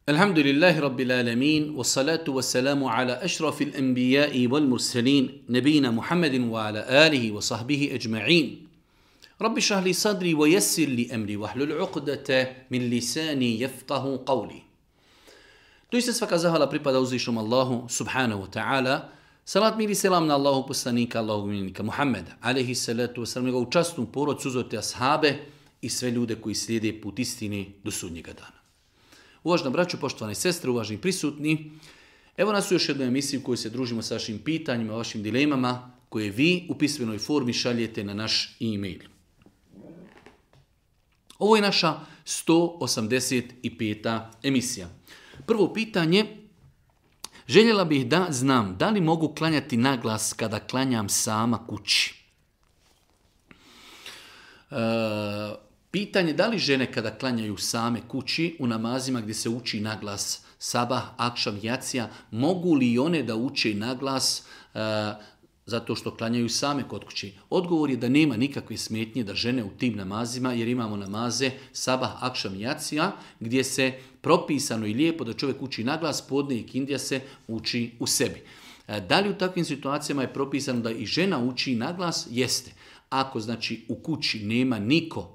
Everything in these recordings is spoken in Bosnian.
Alhamdulillahi Rabbil Alamin, wassalatu wassalamu ala ašrafil anbiya'i wal mursalin, nabina Muhammedin wa ala alihi wa sahbihi ajma'in. Rabbi šrah li sadri wa yassir li amri wahlul uqdata min lisani yafqahu qawli. Doista svaka zahvala pripada uzvišnom Allahu subhanahu wa ta'ala. Salat mir i selam na Allahu poslanika, Allahu miljenika Muhammeda, alaihi salatu wasalam, njegovu časnu porodcu, uzorite ashabe i sve ljude koji slijede put istine do sudnjega dana. Uvažena braćo, poštovane sestre, uvaženi prisutni, evo nas u još jednoj emisiji u kojoj se družimo sa vašim pitanjima, vašim dilemama, koje vi u pismenoj formi šaljete na naš e-mail. Ovo je naša 185. emisija. Prvo pitanje, željela bih da znam da li mogu klanjati naglas kada klanjam sama kući. Pitanje da li žene kada klanjaju same kući u namazima gdje se uči naglas sabah, akšam, jacija, mogu li one da uče naglas zato što klanjaju same kod kući? Odgovor je da nema nikakve smetnje da žene u tim namazima, jer imamo namaze sabah, akšam, jacija, gdje se propisano i lijepo da čovjek uči naglas, podne i kindija se uči u sebi. Da li u takvim situacijama je propisano da i žena uči naglas? Jeste. Ako znači u kući nema niko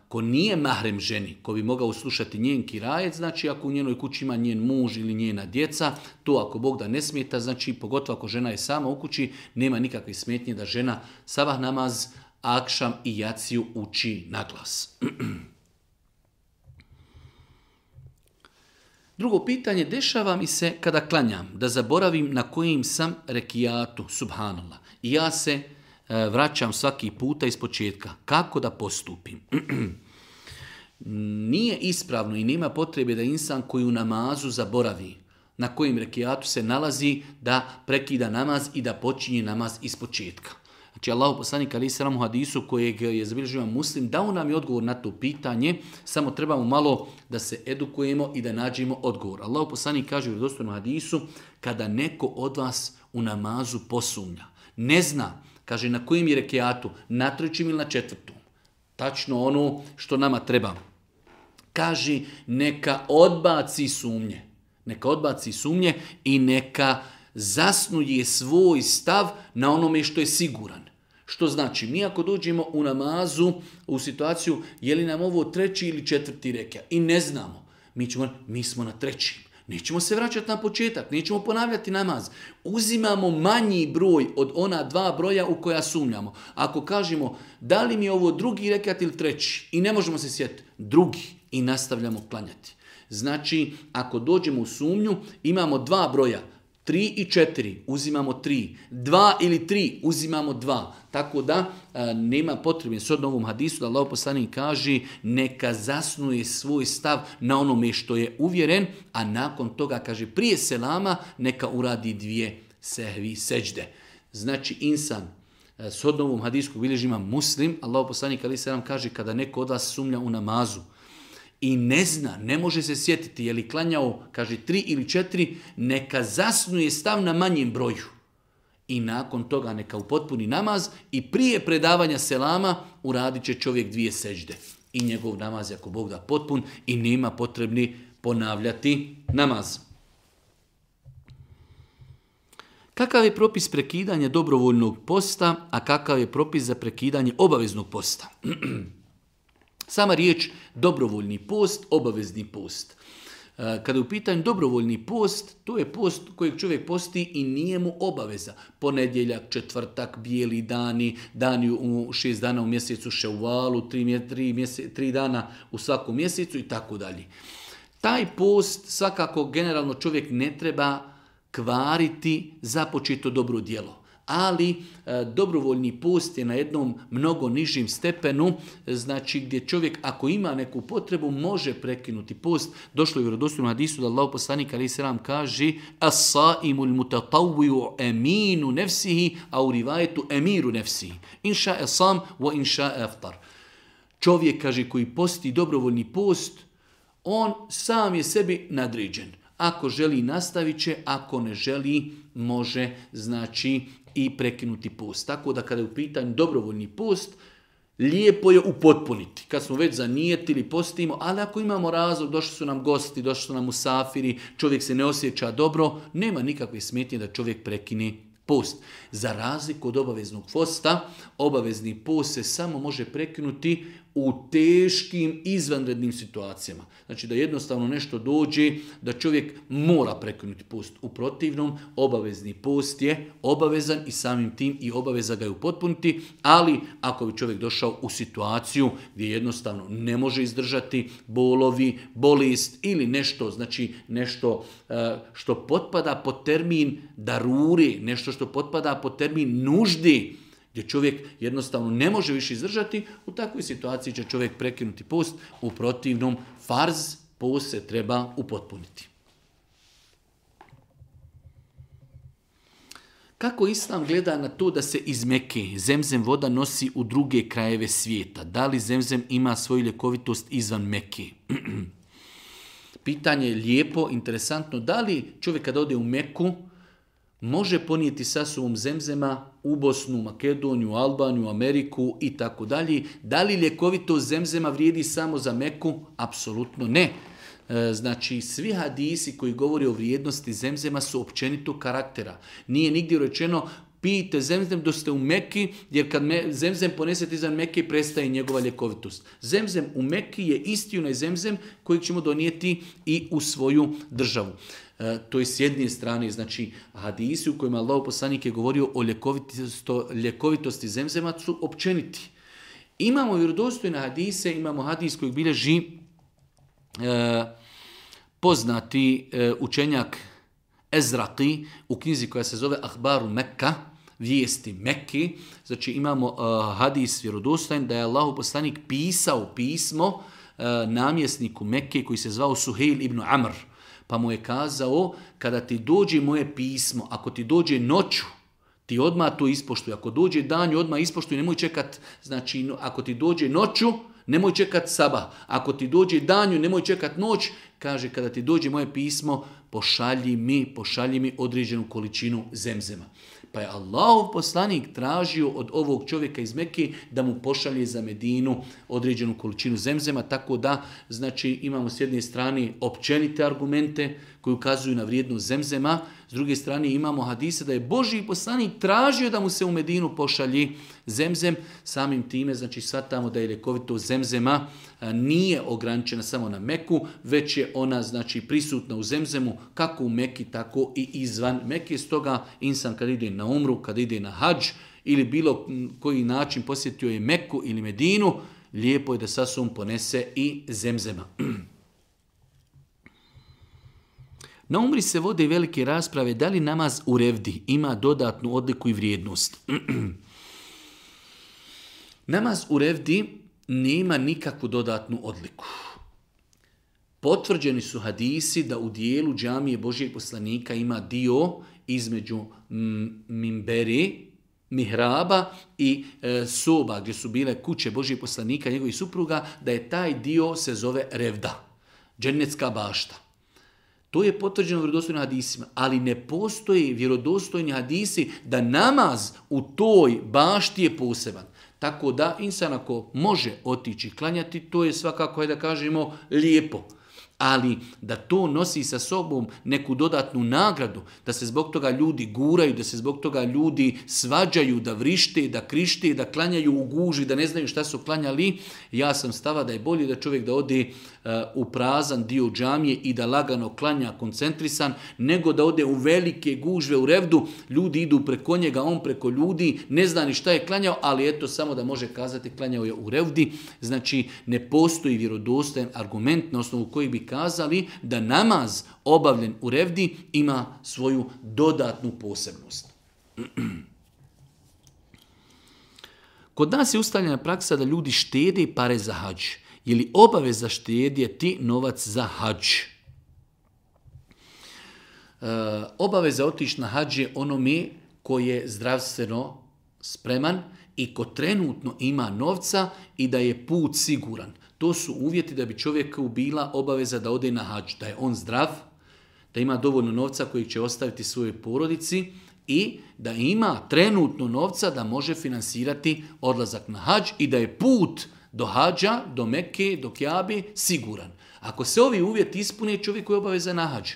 ko nije mahrem ženi, ko bi mogao slušati njen kirajet, znači ako u njenoj kući ima njen muž ili njena djeca, to ako Bog da ne smeta, znači pogotovo ako žena je sama u kući, nema nikakve smetnje da žena sabah namaz, akšam i jaciju uči naglas. Drugo pitanje, dešava mi se kada klanjam da zaboravim na kojim sam rekijatu, subhanallah, i ja se vraćam svaki puta iz početka. Kako da postupim? Nije ispravno i nema potrebe da insan koji u namazu zaboravi na kojim rekijatu se nalazi da prekida namaz i da počinje namaz iz početka. Znači Allahu poslanik alejhi selam u hadisu kojeg je zabilježio Muslim dao nam je odgovor na to pitanje, samo trebamo malo da se edukujemo i da nađemo odgovor. Allahu poslanik kaže u vjerodostojnom hadisu, kada neko od vas u namazu posumnja, ne zna, kaže na kojim je rekijatu, na trećim ili na četvrtom. Tačno ono što nama treba. Kaže neka odbaci sumnje. Neka odbaci sumnje i neka zasnuje svoj stav na onome što je siguran. Što znači, mi ako dođemo u namazu u situaciju je li nam ovo treći ili četvrti rekija i ne znamo, mi smo na trećim. Nećemo se vraćati na početak, nećemo ponavljati namaz. Uzimamo manji broj od ona dva broja u koja sumnjamo. Ako kažemo da li mi je ovo drugi rekat ili treći i ne možemo se sjetiti, drugi i nastavljamo klanjati. Znači, ako dođemo u sumnju, imamo dva broja, 3 i 4, uzimamo 3, 2 ili 3, uzimamo 2. Tako da nema potrebe s ovom hadisu da Allahov poslanik kaže neka zasnuje svoj stav na onome što je uvjeren, a nakon toga kaže prije selama neka uradi 2 sehvi seđde. Znači insan s ovom hadisu koji bilježi ima Muslim, Allahov poslanik alejhi selam kaže kada neko od vas sumnja u namazu i ne zna, ne može se sjetiti je li klanjao, kaže 3 ili 4, neka zasnuje stav na manjem broju. I nakon toga neka upotpuni namaz i prije predavanja selama uradit će čovjek 2 seđde. I njegov namaz je ako Bog da potpun i nema potrebni ponavljati namaz. Kakav je propis prekidanja dobrovoljnog posta, a kakav je propis za prekidanje obaveznog posta? Sama riječ dobrovoljni post, obavezni post. Kada je u pitanju dobrovoljni post, to je post kojeg čovjek posti i nije mu obaveza. Ponedjeljak, četvrtak, bijeli dani, dani u 6 dana u mjesecu Ševalu, 3 dana u svakom mjesecu i tako dalje. Taj post svakako generalno čovjek ne treba kvariti započeto dobro djelo. Ali dobrovoljni post je na jednom mnogo nižim stepenu, znači gdje čovjek ako ima neku potrebu može prekinuti post. Došlo je u vjerodostojnom hadisu da Allahov poslanik alejhi selam kaže as-saimul mutatawwi'u aminu nafsihi au rivayetu amiru nafsihi. Insha sam wa insha aftar. Čovjek kaže koji posti dobrovoljni post, on sam je sebi nadređen. Ako želi nastavit će, ako ne želi može znači i prekinuti post. Tako da kada je u pitanju dobrovoljni post, lijepo je upotpuniti. Kad smo već zanijetili, postimo, ali ako imamo razlog, došli su nam gosti, došli su nam musafiri, čovjek se ne osjeća dobro, nema nikakve smetnje da čovjek prekine post. Za razliku od obaveznog posta, obavezni post se samo može prekinuti u teškim izvanrednim situacijama. Znači da jednostavno nešto dođe, da čovjek mora prekinuti post. U protivnom, obavezni post je obavezan i samim tim i obaveza ga je upotpuniti, ali ako bi čovjek došao u situaciju gdje jednostavno ne može izdržati bolovi, bolest ili nešto, znači nešto što potpada pod termin daruri, nešto što potpada pod termin nuždi, gdje čovjek jednostavno ne može više izdržati, u takvoj situaciji će čovjek prekinuti post, u protivnom farz post se treba upotpuniti. Kako Islam gleda na to da se iz Mekke zemzem voda nosi u druge krajeve svijeta? Da li zemzem ima svoju ljekovitost izvan Mekke? Pitanje je lijepo, interesantno. Da li čovjek kada ode u Meku može ponijeti sa sobom zemzema u Bosnu, Makedoniju, Albaniju, Ameriku i tako dalje? Da li ljekovitost zemzema vrijedi samo za Meku? Apsolutno ne. Znači, svi hadisi koji govori o vrijednosti zemzema su općenito karaktera. Nije nigdje rečeno pijte zemzem dok ste u Meki, jer kad zemzem ponesete izvan Mekke prestaje njegova ljekovitost. Zemzem u Meki je isti onaj zemzem kojeg ćemo donijeti i u svoju državu. To je s jedne strane, znači hadisi u kojima Allahov poslanik je govorio o ljekovitosti zemzema su općeniti. Imamo vjerodostojne hadise, imamo hadis kojeg bilježi poznati učenjak Ezraqi u knjizi koja se zove Ahbaru Mekka, vijesti Mekke. Znači imamo hadis vjerodostojan da je Allahov poslanik pisao pismo namjesniku Mekke koji se zvao Suhejl ibn Amr. Pa mu je kazao, kada ti dođe moje pismo, ako ti dođe noću, ti odmah to ispoštuj. Ako dođe danju, odmah ispoštuj, nemoj čekat, znači ako ti dođe noću, nemoj čekat sabah. Ako ti dođe danju, nemoj čekat noć. Kaže, kada ti dođe moje pismo, pošalji mi određenu količinu zemzema. Pa je Allahov poslanik tražio od ovog čovjeka iz Mekke da mu pošalje za Medinu određenu količinu zemzema, tako da znači imamo s jedne strane općenite argumente koji ukazuju na vrijednost zemzema, s druge strane imamo hadise da je Božji poslanik tražio da mu se u Medinu pošalji zemzem, samim time znači shvatamo da je ljekovitost zemzema nije ograničena samo na Meku, već je ona znači prisutna u zemzemu kako u Meki, tako i izvan Mekke. Stoga insan kad ide na umru, kad ide na hadž ili bilo koji način posjetio je Meku ili Medinu, lijepo je da sa sobom ponese i zemzema. Na umri se vode velike rasprave da li namaz u revdi ima dodatnu odliku i vrijednost. Namaz u revdi nema nikakvu dodatnu odliku. Potvrđeni su hadisi da u dijelu džamije Božijeg poslanika ima dio između mimberi, mihraba i soba gdje su bile kuće Božijeg poslanika i njegovih supruga, da je taj dio se zove revda, džennetska bašta. To je potvrđeno vjerodostojnim hadisima, ali ne postoji vjerodostojni hadisi da namaz u toj bašti je poseban. Tako da insan ako može otići klanjati, to je svakako, da kažemo, lijepo. Ali da to nosi sa sobom neku dodatnu nagradu, da se zbog toga ljudi guraju, da se zbog toga ljudi svađaju, da vrište, da krište, da klanjaju u guži, da ne znaju šta su klanjali, ja sam stava da je bolje da čovjek da ode u prazan dio džamije i da lagano klanja koncentrisan, nego da ode u velike gužve u revdu, ljudi idu preko njega, on preko ljudi, ne zna ni šta je klanjao, ali eto samo da može kazati klanjao je u revdi. Znači ne postoji vjerodostojan argument na osnovu koji bi kazali da namaz obavljen u revdi ima svoju dodatnu posebnost. Kod nas je ustaljena praksa da ljudi štede pare za hadž. Je li obaveza štedjeti novac za hadž? Obaveza otići na hadž je onome ko je zdravstveno spreman i ko trenutno ima novca i da je put siguran. To su uvjeti da bi čovjeku bila obaveza da ode na hadž, da je on zdrav, da ima dovoljno novca kojeg će ostaviti svojoj porodici i da ima trenutno novca da može finansirati odlazak na hadž i da je put do hadža, do Mekke, do Kjabe siguran. Ako se ovi uvjeti ispune, čovjek je obavezan na hadž.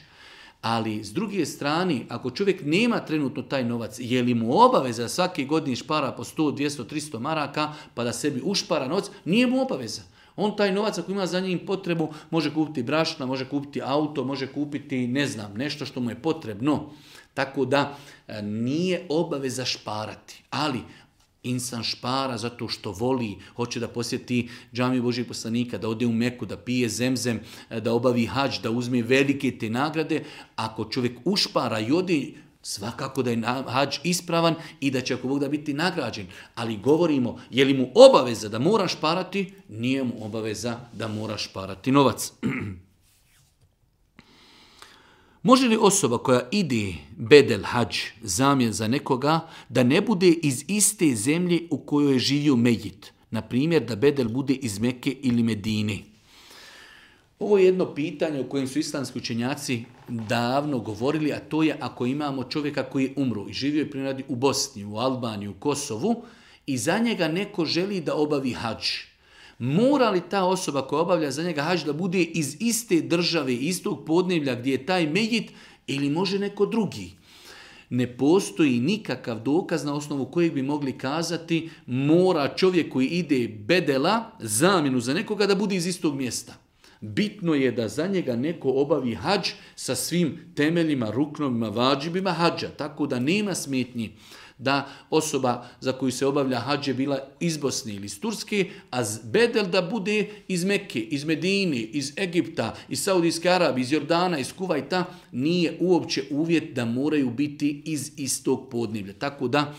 Ali s druge strane, ako čovjek nema trenutno taj novac, je li mu obaveza svake godine špara po 100, 200, 300 maraka pa da sebi ušpara novac, nije mu obaveza. On taj novac ako ima za njim potrebu može kupiti brašna, može kupiti auto, može kupiti nešto što mu je potrebno. Tako da nije obaveza šparati, ali insan špara zato što voli, hoće da posjeti džamiju Božijeg poslanika, da ode u Meku, da pije zemzem, da obavi hadž, da uzme velike te nagrade. Ako čovjek ušpara i ode, svakako da je hadž ispravan i da će ako Bog da biti nagrađen. Ali govorimo, je li mu obaveza da mora šparati? Nije mu obaveza da mora šparati novac. Može li osoba koja ide bedel hadž, zamjen za nekoga, da ne bude iz iste zemlje u kojoj je živio mejit? Na primjer, da bedel bude iz Mekke ili Medine. Ovo je jedno pitanje o kojem su islamski učenjaci davno govorili, a to je ako imamo čovjeka koji je umro i živio je primjer u Bosni, u Albaniji, u Kosovu i za njega neko želi da obavi hadž. Mora li ta osoba koja obavlja za njega hadž da bude iz iste države, istog podneblja gdje je taj mejit ili može neko drugi? Ne postoji nikakav dokaz na osnovu kojeg bi mogli kazati mora čovjek koji ide bedela, zamjenu za nekoga da bude iz istog mjesta. Bitno je da za njega neko obavi hadž sa svim temeljima, ruknovima, vađibima hadža, tako da nema smetnji da osoba za koju se obavlja hadž je bila iz Bosne ili iz Turske, a bedel da bude iz Mekke, iz Medine, iz Egipta, iz Saudijske Arabije, iz Jordana, iz Kuvajta, nije uopće uvjet da moraju biti iz istog podneblja. Tako da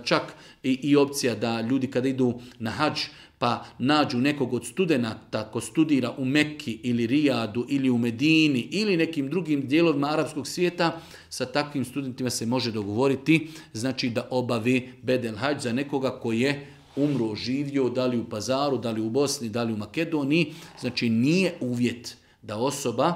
čak i opcija da ljudi kada idu na hadž pa nađu nekog od studenata ko studira u Mekki ili Rijadu ili u Medini ili nekim drugim dijelovima arapskog svijeta, sa takvim studentima se može dogovoriti, znači da obave bedel hadž za nekoga koji je umro, živio, da li u Pazaru, da li u Bosni, da li u Makedoniji. Znači nije uvjet da osoba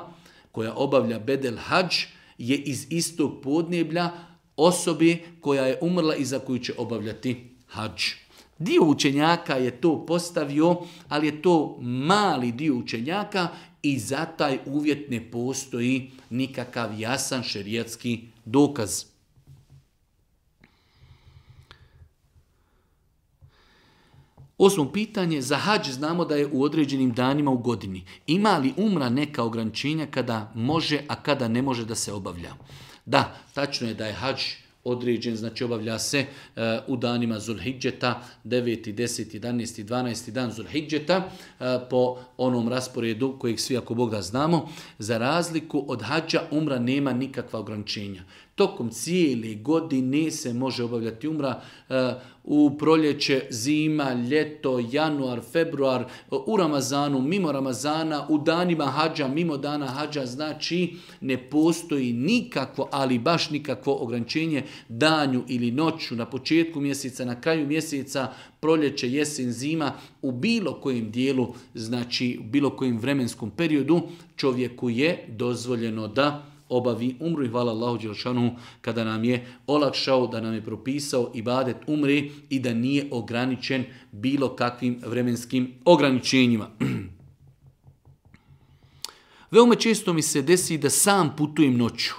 koja obavlja bedel hadž je iz istog podneblja osobe koja je umrla i za koju će obavljati hadž. Dio učenjaka je to postavio, ali je to mali dio učenjaka i za taj uvjet ne postoji nikakav jasan šerijatski dokaz. Osmo pitanje, za hadž znamo da je u određenim danima u godini. Ima li umra neka ograničenja kada može, a kada ne može da se obavlja? Da, tačno je da je hadž određen, znači obavlja se u danima Zulhidžeta, 9., 10., 11., 12. dan Zulhidžeta, po onom rasporedu kojeg svi ako Bog da znamo. Za razliku od hadža umra nema nikakva ograničenja. Tokom cijele godine se može obavljati umra u proljeće, zima, ljeto, januar, februar, u Ramazanu, mimo Ramazana, u danima hadža, mimo dana hadža, znači ne postoji nikakvo, ali baš nikakvo ograničenje danju ili noću, na početku mjeseca, na kraju mjeseca, proljeće, jesen, zima, u bilo kojem dijelu, znači u bilo kojem vremenskom periodu čovjeku je dozvoljeno da obavi umru i hvala Allahu dželešanu kada nam je olakšao, da nam je propisao ibadet umri i da nije ograničen bilo kakvim vremenskim ograničenjima. Veoma često mi se desi da sam putujem noću.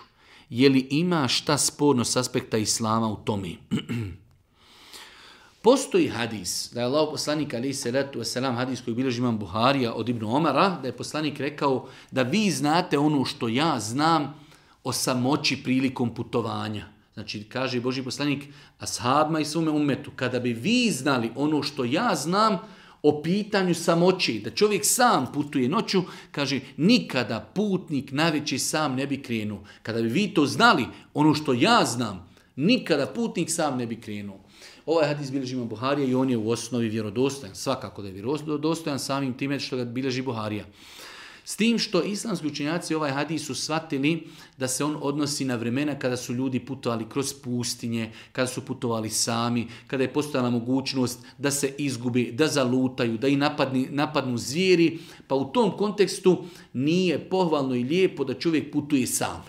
Je li ima šta sporno s aspekta islama u tome? Postoji hadis, da je Allah poslanik alejhi selatu vesselam, hadis koji bilježi imam Buharija od Ibn Omara, da je poslanik rekao da vi znate ono što ja znam o samoći prilikom putovanja. Znači, kaže Božji poslanik ashabima i svome ummetu, kada bi vi znali ono što ja znam o pitanju samoći, da čovjek sam putuje noću, kaže, nikada putnik navečer sam ne bi krenuo. Kada bi vi to znali, ono što ja znam, nikada putnik sam ne bi krenuo. Ovaj hadis bilježi imam Buharija i on je u osnovi vjerodostojan. Svakako da je vjerodostojan samim time što ga bilježi Buharija. S tim što islamski učenjaci ovaj hadis su shvatili da se on odnosi na vremena kada su ljudi putovali kroz pustinje, kada su putovali sami, kada je postojala mogućnost da se izgube, da zalutaju, da i napadnu zvijeri, pa u tom kontekstu nije pohvalno i lijepo da čovjek putuje sam,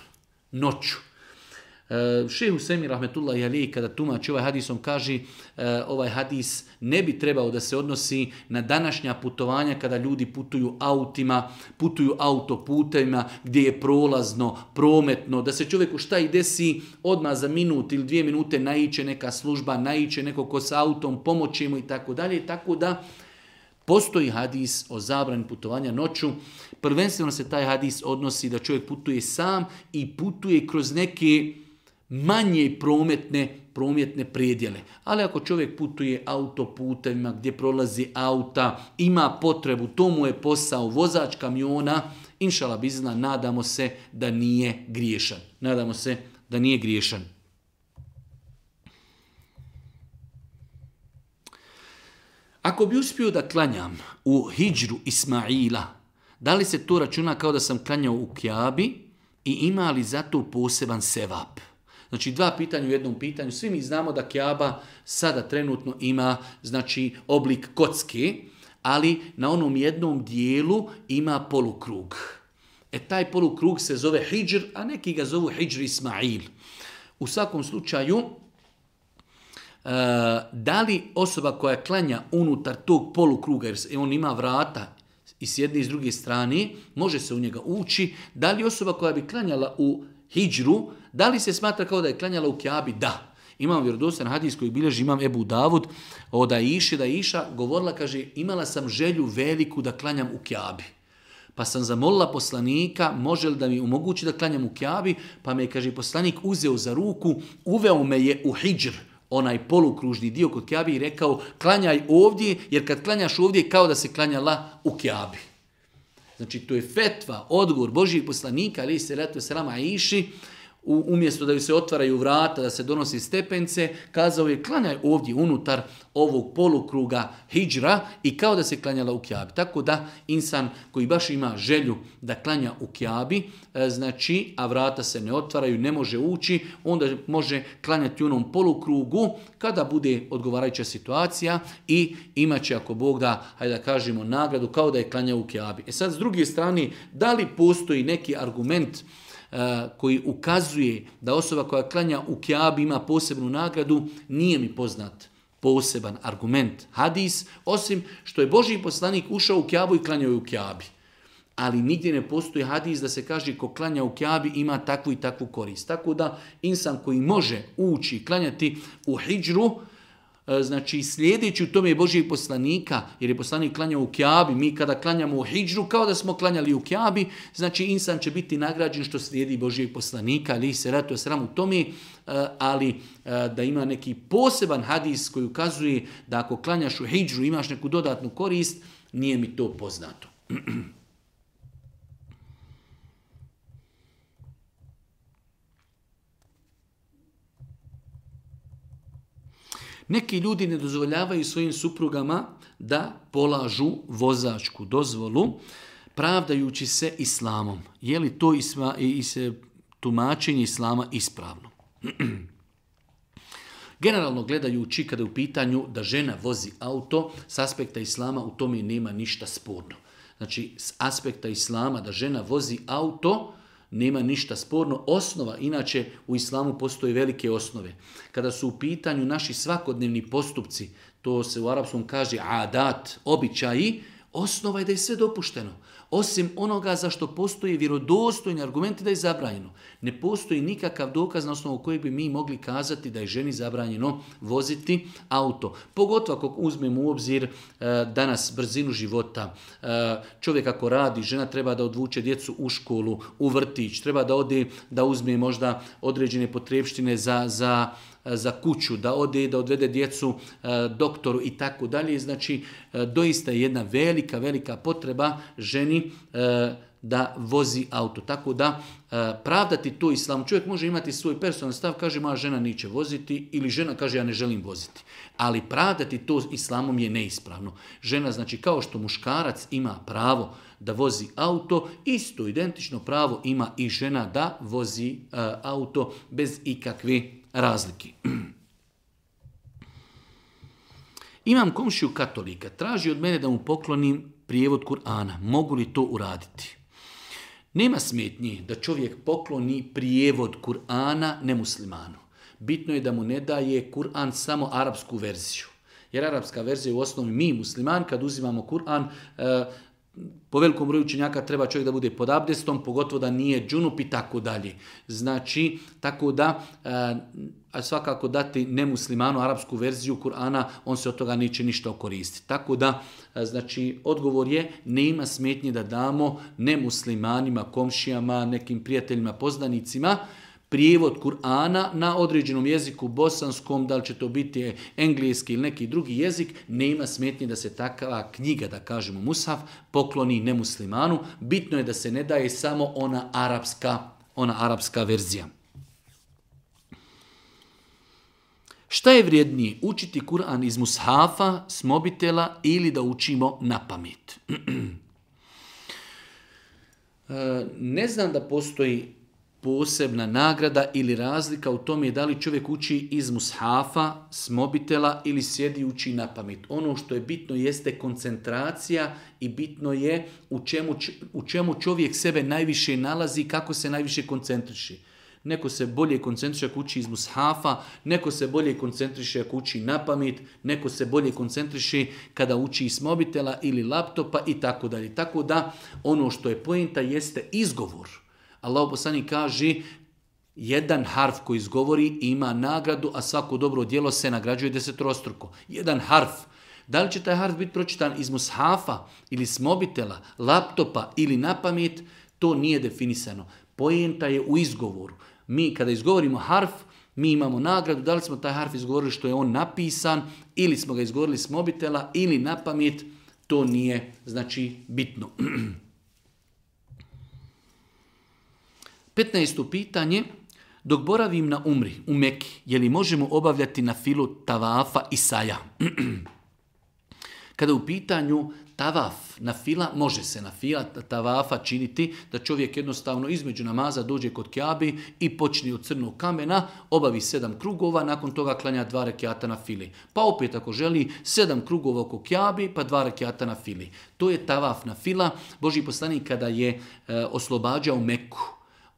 noću. Šejh Husejmi rahmetullahi alejhi kada tumači ovaj hadis, on kaže ovaj hadis ne bi trebao da se odnosi na današnja putovanja kada ljudi putuju autima, putuju autoputevima gdje je prolazno, prometno, da se čovjeku šta i desi odmah za minut ili 2 minute naiće neka služba, naiće neko ko sa autom, pomoći mu i tako dalje. Tako da postoji hadis o zabrani putovanja noću. Prvenstveno se taj hadis odnosi da čovjek putuje sam i putuje kroz neke manje prometne predjele. Ali ako čovjek putuje autoputevima gdje prolazi auta, ima potrebu, to mu je posao, vozač kamiona, inšala bizna, nadamo se da nije griješan. Nadamo se da nije griješan. Ako bi uspio da klanjam u hidžru Ismaila, da li se to računa kao da sam klanjao u Kjabi i ima li za to poseban sevap? Znači 2 pitanja u jednom pitanju. Svi mi znamo da Kjaba sada trenutno ima znači oblik kocke, ali na onom jednom dijelu ima polukrug. Taj polukrug se zove hidžr, a neki ga zovu hidžr Ismail. U svakom slučaju, da li osoba koja klanja unutar tog polukruga, jer on ima vrata i s jedne i s druge strane, može se u njega ući, da li osoba koja bi klanjala u hidžru, da li se smatra kao da je klanjala u Kjabi? Da. Imam vjerodostojan hadis koji bilježi imam Ebu Davud da je Iša govorila, kaže, imala sam želju veliku da klanjam u Kjabi. Pa sam zamolila poslanika, može li da mi omogući da klanjam u Kjabi, pa me je, kaže, poslanik uzeo za ruku, uveo me je u hidžr, onaj polukružni dio kod Kjabi i rekao, klanjaj ovdje, jer kad klanjaš ovdje kao da se klanjala u Kjabi. Znači, to je fetva, odgovor Božijeg poslanika, alejhi selatu vesselam Aiši, umjesto da ju se otvaraju vrata, da se donosi stepence, kazao je klanjaj ovdje unutar ovog polukruga hidžra i kao da se klanjala u Kjabi. Tako da insan koji baš ima želju da klanja u Kjabi, znači, a vrata se ne otvaraju, ne može ući, onda može klanjati u onom polukrugu kada bude odgovarajuća situacija i imat će, ako Bog da, hajde da kažemo, nagradu kao da je klanjao u Kjabi. Sad, s druge strane, da li postoji neki argument koji ukazuje da osoba koja klanja u Kjabi ima posebnu nagradu, nije mi poznat poseban argument, hadis, osim što je Božji poslanik ušao u Kjabu i klanjao je u Kjabi. Ali nigdje ne postoji hadis da se kaže ko klanja u Kjabi ima takvu i takvu korist. Tako da insan koji može ući i klanjati u hidžru, znači slijedeći u tome je Božijeg poslanika, jer je poslanik klanjao u Kjabi, mi kada klanjamo u hidžru kao da smo klanjali u Kjabi, znači insan će biti nagrađen što slijedi Božijeg poslanika, alejhi selatu vesselam u tome, ali da ima neki poseban hadis koji ukazuje da ako klanjaš u hidžru imaš neku dodatnu korist, nije mi to poznato. Neki ljudi ne dozvoljavaju svojim suprugama da polažu vozačku dozvolu, pravdajući se islamom. Je li to tumačenje islama ispravno? Generalno gledajući, kada je u pitanju da žena vozi auto, s aspekta islama u tome nema ništa sporno. Znači, s aspekta islama da žena vozi auto, nema ništa sporno. Osnova, inače u islamu postoje velike osnove. Kada su u pitanju naši svakodnevni postupci, to se u arapskom kaže adat, običaji, osnova je da je sve dopušteno. Osim onoga za što postoji vjerodostojni argumenti da je zabranjeno. Ne postoji nikakav dokaz na osnovu kojeg bi mi mogli kazati da je ženi zabranjeno voziti auto. Pogotovo ako uzmemo u obzir danas brzinu života. Čovjek ako radi, žena treba da odvuče djecu u školu, u vrtić, treba da ode da uzme možda određene potrepštine za kuću, da ode, da odvede djecu doktoru i tako dalje. Znači, doista je jedna velika potreba ženi da vozi auto. Tako da pravdati to islamu. Čovjek može imati svoj personalni stav, kaže moja žena neće voziti ili žena kaže ja ne želim voziti. Ali pravdati to islamom je neispravno. Žena, znači kao što muškarac ima pravo da vozi auto, isto identično pravo ima i žena da vozi auto bez ikakve razlike. Imam komšiju katolika, traži od mene da mu poklonim prijevod Kur'ana. Mogu li to uraditi? Nema smetnji da čovjek pokloni prijevod Kur'ana nemuslimanu. Bitno je da mu ne daje Kur'an samo arapsku verziju. Jer arapska verzija je u osnovi mi musliman, kad uzimamo Kur'an, po velikom broju učenjaka treba čovjek da bude pod abdestom, pogotovo da nije džunup i tako dalje. Znači, tako da svakako dati nemuslimanu arapsku verziju Kur'ana, on se od toga neće ništa koristiti. Tako da, znači, odgovor je, nema smetnje da damo nemuslimanima, komšijama, nekim prijateljima, poznanicima, prijevod Kur'ana na određenom jeziku, bosanskom, da li će to biti engleski ili neki drugi jezik, nema smetnje da se takva knjiga, da kažemo mushaf, pokloni nemuslimanu. Bitno je da se ne daje samo ona arapska verzija. Šta je vrijednije, učiti Kur'an iz mushafa, s mobitela ili da učimo na pamet? Ne znam da postoji posebna nagrada ili razlika u tome da li čovjek uči iz mushafa, s mobitela ili sjedi uči na pamet. Ono što je bitno jeste koncentracija i bitno je u čemu čovjek sebe najviše nalazi, kako se najviše koncentriše. Neko se bolje koncentriše ako uči iz mushafa, neko se bolje koncentriše ako uči na pamet, neko se bolje koncentriše kada uči iz mobitela ili laptopa i tako dalje. Tako da ono što je poenta jeste izgovor. Allah poslanik kaže, jedan harf koji izgovori ima nagradu, a svako dobro djelo se nagrađuje desetrostruko. Jedan harf. Da li će taj harf biti pročitan iz mushafa ili s mobitela, laptopa ili na pamet, to nije definisano. Poenta je u izgovoru. Mi kada izgovorimo harf, mi imamo nagradu, da li smo taj harf izgovorili što je on napisan, ili smo ga izgovorili s mobitela, ili na pamet, to nije, znači, bitno. 15. pitanje, dok boravim na umri, u Meki, je li možemo obavljati na filu tavafa i saja? Kada u pitanju tavaf, na fila, može se na fila tavafa činiti da čovjek jednostavno između namaza dođe kod Kjabe i počne od crnog kamena, obavi 7 krugova, nakon toga klanja 2 rekiata na fili. Pa opet ako želi 7 krugova oko Kjabe, pa 2 rekiata na fili. To je tavaf na fila. Božji poslanik kada je oslobađao Meku,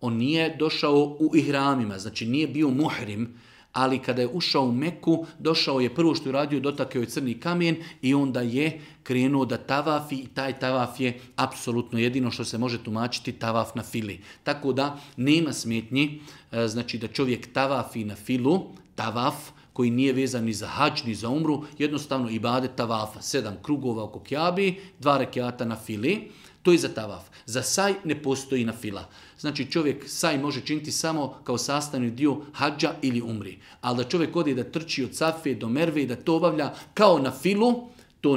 on nije došao u ihramima, znači nije bio muhrim, ali kada je ušao u Meku, došao je prvo što je radio, dotakao je crni kamen i onda je krenuo da tavafi i taj tavaf je apsolutno jedino što se može tumačiti tavaf na fili. Tako da nema smetnji, znači da čovjek tavafi na filu, tavaf koji nije vezan ni za hadž, ni za umru, jednostavno ibadet tavafa, 7 krugova oko Kjabe, 2 rekiata na fili. To je za tavaf. Za saj ne postoji na fila. Znači čovjek saj može činiti samo kao sastavni dio hadža ili umri. Ali da čovjek ode da trči od Safe do Merve i da to obavlja kao na filu, to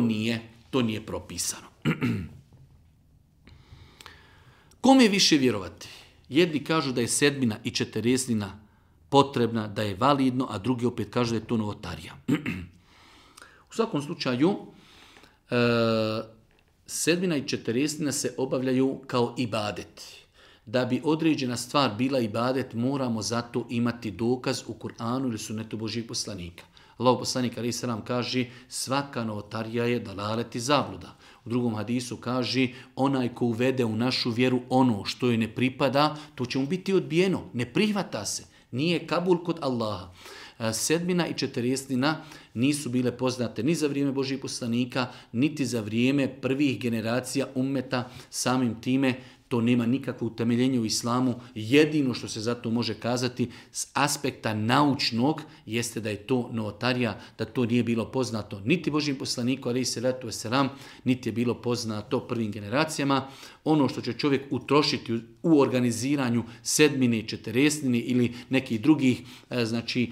nije propisano. Kome više vjerovati? Jedni kažu da je 7 i 40 potrebna, da je validno, a drugi opet kažu da je to novotarija. U svakom slučaju, 7 i 40 se obavljaju kao ibadet. Da bi određena stvar bila ibadet, moramo zato imati dokaz u Kur'anu ili sunnetu Božjih poslanika. Allahov poslanik alejhi selam kaže, svaka novotarija je dalalet i zabluda. U drugom hadisu kaže, onaj ko uvede u našu vjeru ono što joj ne pripada, to će mu biti odbijeno. Ne prihvata se. Nije kabul kod Allaha. 7 i 40 nisu bile poznate ni za vrijeme Božjih poslanika, niti za vrijeme prvih generacija ummeta. Samim time to nema nikakvo utemeljenje u islamu. Jedino što se zato može kazati s aspekta naučnog jeste da je to novotarija, da to nije bilo poznato niti Božjim poslaniku, alejhi selatu vesselam, niti je bilo poznato prvim generacijama. Ono što će čovjek utrošiti u organiziranju 7 i 40 ili nekih drugih, znači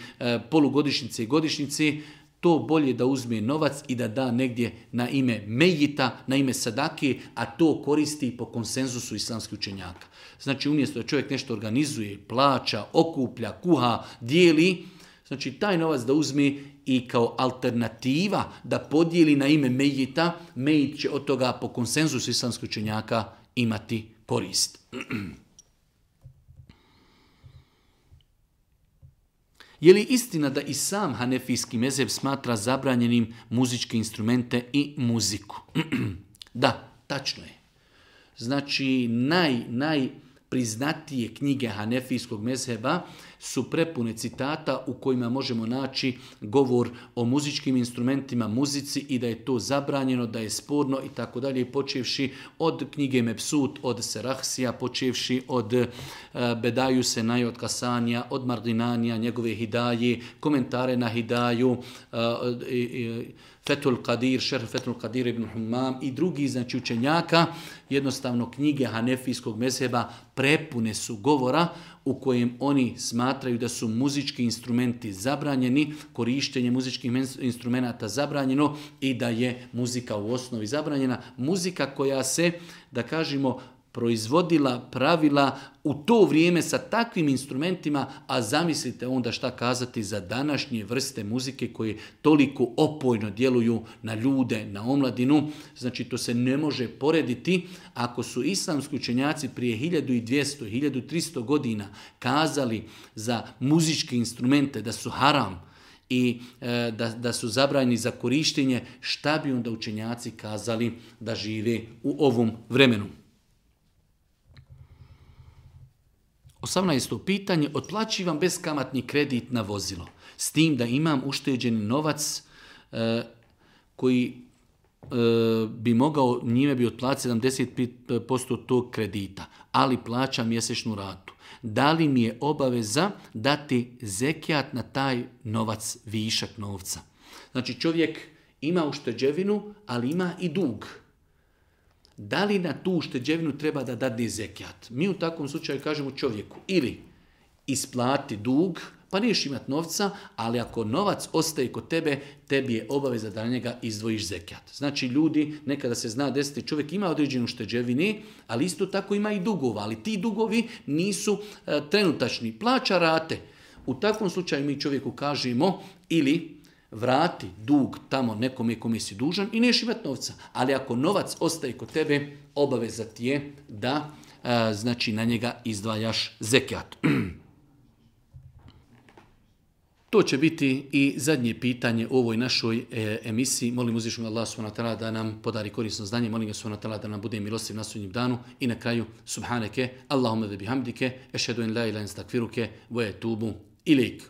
polugodišnjice i godišnjice, to bolje da uzme novac i da da negdje na ime mejita, na ime sadake, a to koristi po konsenzusu islamskih učenjaka. Znači umjesto da čovjek nešto organizuje, plaća, okuplja, kuha, dijeli, znači taj novac da uzme i kao alternativa da podijeli na ime mejita, mejit će od toga po konsenzusu islamskih učenjaka imati korist. Je li istina da i sam hanefijski mezheb smatra zabranjenim muzičke instrumente i muziku? Da, tačno je. znači najpriznatije knjige hanefijskog mezheba su prepune citata u kojima možemo naći govor o muzičkim instrumentima, muzici i da je to zabranjeno, da je sporno i tako dalje, počevši od knjige Mebsut, od Serahsija, počevši od Bedaju Senaja, od Kasanija, od Mardinanija, njegove Hidaje, komentare na Hidaju, Fethul Qadir, Šerh Fethul Qadir ibn Humam i drugi znači učenjaka, jednostavno knjige hanefijskog mezheba prepune su govora u kojem oni smatraju da su muzički instrumenti zabranjeni, korištenje muzičkih instrumenata zabranjeno i da je muzika u osnovi zabranjena. Muzika koja se, da kažemo, proizvodila, pravila u to vrijeme sa takvim instrumentima, a zamislite onda šta kazati za današnje vrste muzike koje toliko opojno djeluju na ljude, na omladinu. Znači to se ne može porediti. Ako su islamski učenjaci prije 1200, 1300 godina kazali za muzičke instrumente da su haram i da su zabranjeni za korištenje, šta bi onda učenjaci kazali da žive u ovom vremenu? 18. pitanje, otplaćivam beskamatni kredit na vozilo, s tim da imam ušteđeni novac koji bi mogao, njime bi otplatiti 75% tog kredita, ali plaćam mjesečnu ratu. Da li mi je obaveza dati zekijat na taj novac, višak novca? Znači čovjek ima ušteđevinu, ali ima i dug. Da li na tu ušteđevinu treba da dadne zekijat? Mi u takvom slučaju kažemo čovjeku ili isplati dug, pa neš imati novca, ali ako novac ostaje kod tebe, tebi je obaveza da na njega izdvojiš zekijat. Znači ljudi, nekada se zna desiti, čovjek ima određenu ušteđevine, ali isto tako ima i dugova, ali ti dugovi nisu trenutačni, plaća rate. U takvom slučaju mi čovjeku kažemo ili vrati dug tamo nekome kome si dužan i neš imati novca. Ali ako novac ostaje kod tebe, obaveza ti je da znači na njega izdvajaš zekijat. To će biti i zadnje pitanje u ovoj našoj emisiji. Molim uzvišenog Allah subhanahu wa ta'ala da nam podari korisno znanje. Molim ga subhanahu wa ta'ala da nam bude milostiv na sudnjem danu. I na kraju, subhaneke, Allahumma ve bihamdike, ešhedu en la ilaha illa anta, estakfiruke, ve etubu ilejk.